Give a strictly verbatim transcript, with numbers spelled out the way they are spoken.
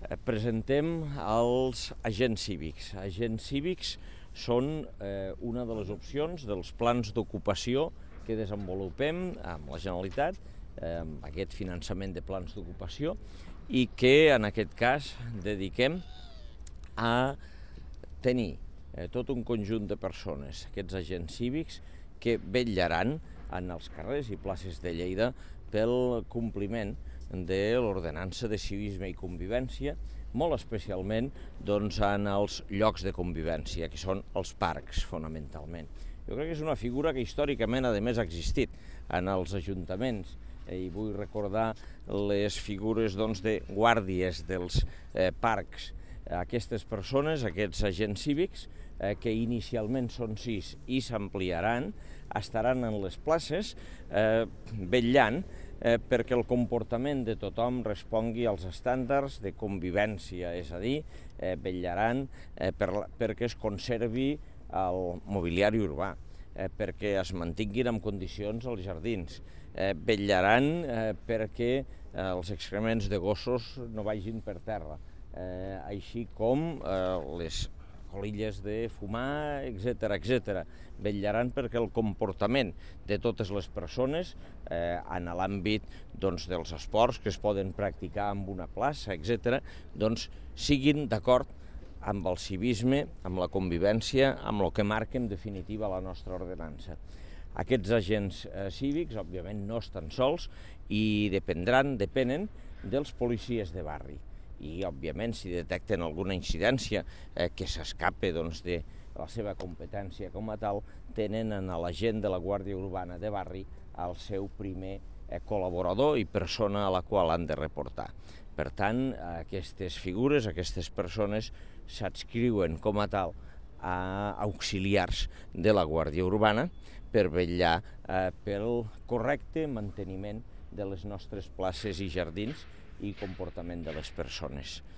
Presentem els agents cívics. Agents cívics són eh, una de les opcions dels plans d'ocupació que desenvolupem amb la Generalitat, eh, amb aquest finançament de plans d'ocupació, i que en aquest cas dediquem a tenir eh, tot un conjunt de persones, aquests agents cívics, que vetllaran en els carrers i places de Lleida pel compliment de l'ordenança de civisme i convivència, molt especialment doncs, en els llocs de convivència, que són els parcs, fonamentalment. Jo crec que és una figura que històricament, a més, ha existit en els ajuntaments, i vull recordar les figures doncs, de guàrdies dels eh, parcs. Aquestes persones, aquests agents cívics, eh, que inicialment són sis i s'ampliaran, estaran en les places eh, vetllant eh, perquè el comportament de tothom respongui als estàndards de convivència, és a dir, eh, vetllaran eh, per, perquè es conservi el mobiliari urbà, eh, perquè es mantinguin en condicions els jardins, eh, vetllaran eh, perquè eh, els excrements de gossos no vagin per terra, eh, així com eh, les colilles de fumar, etcètera, etcètera. Vetllaran perquè el comportament de totes les persones eh, en l'àmbit doncs, dels esports que es poden practicar en una plaça, etcètera, doncs, siguin d'acord amb el civisme, amb la convivència, amb el que marca en definitiva la nostra ordenança. Aquests agents eh, cívics, òbviament, no estan sols i dependran, depenen dels policies de barri. I, òbviament, si detecten alguna incidència eh, que s'escape doncs, de la seva competència com a tal, tenen en l'agent de la Guàrdia Urbana de barri el seu primer eh, col·laborador i persona a la qual han de reportar. Per tant, aquestes figures, aquestes persones, s'adscriuen com a tal a auxiliars de la Guàrdia Urbana per vetllar eh, pel correcte manteniment de les nostres places i jardins i comportament de les persones.